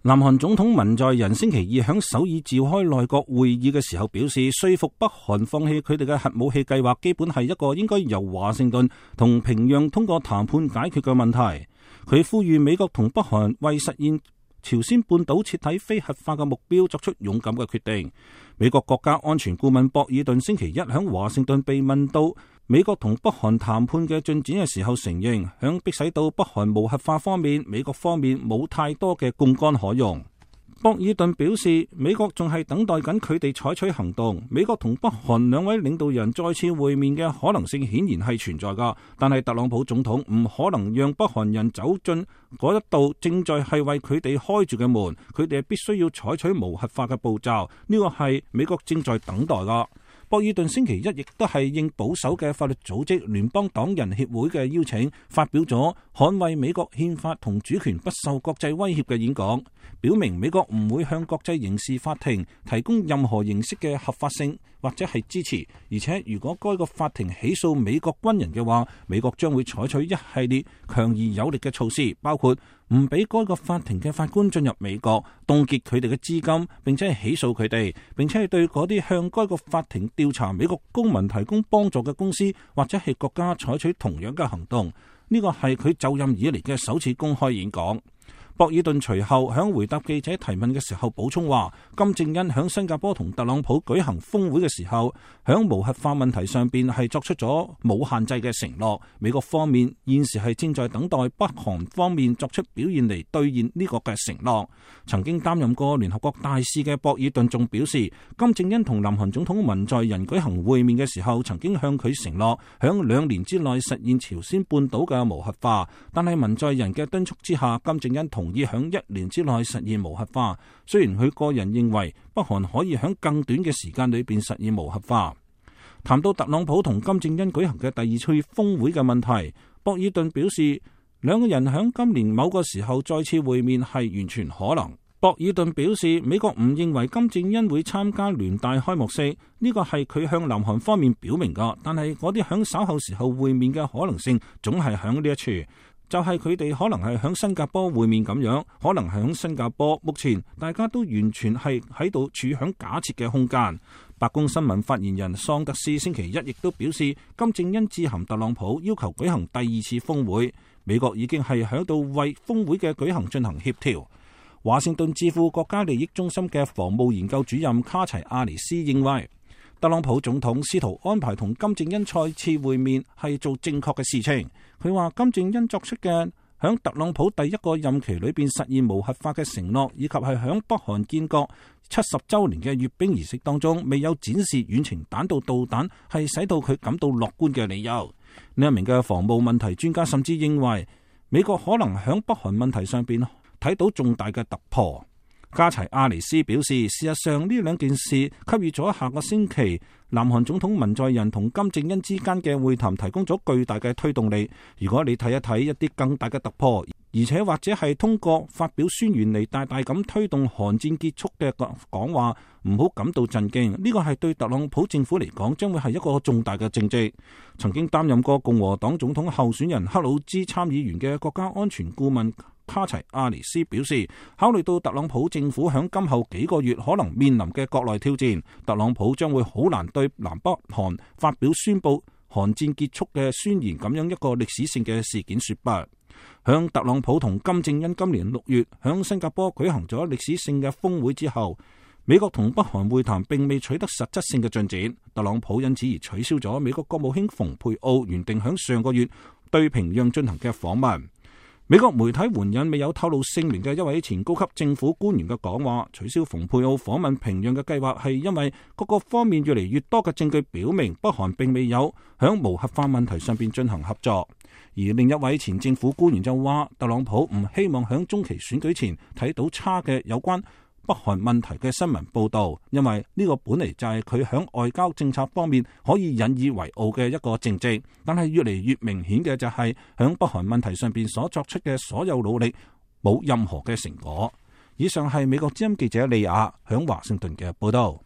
南韓總統文在寅星期二喺首爾召開內閣會議嘅時候表示，說服北韓放棄佢哋嘅核武器計劃，基本係一個應該由華盛頓同平壤通過談判解決嘅問題。佢呼籲美國同北韓為實現朝鮮半島徹底非核化嘅目標作出勇敢嘅決定。美國國家安全顧問博爾頓星期一喺華盛頓被問到美國同北韓談判嘅進展嘅時候，承認響迫使到北韓無核化方面，美國方面冇太多嘅槓桿可用。博爾頓表示，美國仲係等待緊佢哋採取行動。美國同北韓兩位領導人再次會面嘅可能性顯然係存在㗎，但係特朗普總統唔可能讓北韓人走進嗰一道正在係為佢哋開住嘅門，佢哋係必須要採取無核化嘅步驟，呢個係美國正在等待㗎。博爾頓星期一亦都係應保守嘅法律組織聯邦黨人協會嘅邀請，發表咗捍衛美國憲法同主權不受國際威脅嘅演講，表明美國唔會向國際刑事法庭提供任何形式嘅合法性或者係支持，而且如果該個法庭起訴美國軍人嘅話，美國將會採取一系列強而有力嘅措施，包括唔俾該個法庭嘅法官進入美國，凍結佢哋嘅資金，並且係起訴佢哋，並且係對嗰啲向該個法庭調查美國公民提供幫助嘅公司或者係國家採取同樣嘅行動。呢個係佢就任以嚟嘅首次公開演講。博爾頓隨後響回答記者提問嘅時候補充話，金正恩響新加坡同特朗普舉行峰會嘅時候，響無核化問題上邊係作出咗冇限制嘅承諾。美國方面現時係正在等待北韓方面作出表現嚟兌現呢個嘅承諾。曾經擔任過聯合國大使嘅博爾頓仲表示，金正恩同南韓總統文在寅舉行會面嘅時候，曾經向佢承諾響2年之內實現朝鮮半島嘅無核化，但係文在寅嘅敦促之下，金正恩同意響1年之內實現無核化。雖然佢個人認為北韓可以響更短嘅時間裏邊實現無核化。談到特朗普同金正恩舉行嘅第2次峰會嘅問題，博爾頓表示，兩個人響今年某個時候再次會面係完全可能。博爾頓表示，美國唔認為金正恩會參加聯大開幕式，呢個係佢向南韓方面表明㗎，但係嗰啲響稍後時候會面嘅可能性總係響呢一處。就係佢哋可能係響新加坡會面咁樣，可能係響新加坡。目前大家都完全係喺度處響假設嘅空間。白宮新聞發言人桑德斯星期一亦都表示，金正恩致函特朗普，要求舉行第2次峰會。美國已經係喺度為峰會嘅舉行進行協調。華盛頓智庫國家利益中心嘅防務研究主任卡齊亞尼斯認為，特朗普總統試圖安排同金正恩再次會面係做正確嘅事情。佢話金正恩作出嘅響特朗普第1個任期裏邊實現無核化嘅承諾，以及係響北韓建國70週年嘅閱兵儀式當中未有展示遠程彈道導彈，係使到佢感到樂觀嘅理由。呢一名嘅防務問題專家甚至認為，美國可能響北韓問題上邊睇到重大嘅突破。加齊亞尼斯表示，事實上呢兩件事給予咗下個星期南韓總統文在寅同金正恩之間嘅會談提供咗巨大嘅推動力。如果你睇一睇一啲更大嘅突破，而且或者係通過發表宣言嚟大大咁推動韓戰結束嘅講話，唔好感到震驚。呢個係對特朗普政府嚟講將會係一個重大嘅政績。曾經擔任過共和黨總統候選人克魯茲參議員嘅國家安全顧問卡齊亞尼斯表示，考慮到特朗普政府響今後幾個月可能面臨嘅國內挑戰，特朗普將會好難對南北韓發表宣布韓戰結束嘅宣言咁樣一個歷史性嘅事件說不。響特朗普同金正恩今年6月響新加坡舉行咗歷史性嘅峰會之後，美國同北韓會談並未取得實質性嘅進展，特朗普因此而取消咗美國國務卿蓬佩奧原定響上個月對平壤進行嘅訪問。美國媒體援引未有透露姓名嘅一位前高級政府官員嘅講話，取消蓬佩奧訪問平壤嘅計劃係因為各個方面越嚟越多嘅證據表明北韓並未有響無核化問題上邊進行合作。而另一位前政府官員就話，特朗普唔希望響中期選舉前睇到差嘅有關北韓問題嘅新聞報導，因為呢個本嚟就係佢響外交政策方面可以引以為傲嘅一個政績，但係越嚟越明顯嘅就係響北韓問題上邊所作出嘅所有努力冇任何嘅成果。以上係美國之音記者利亞響華盛頓嘅報導。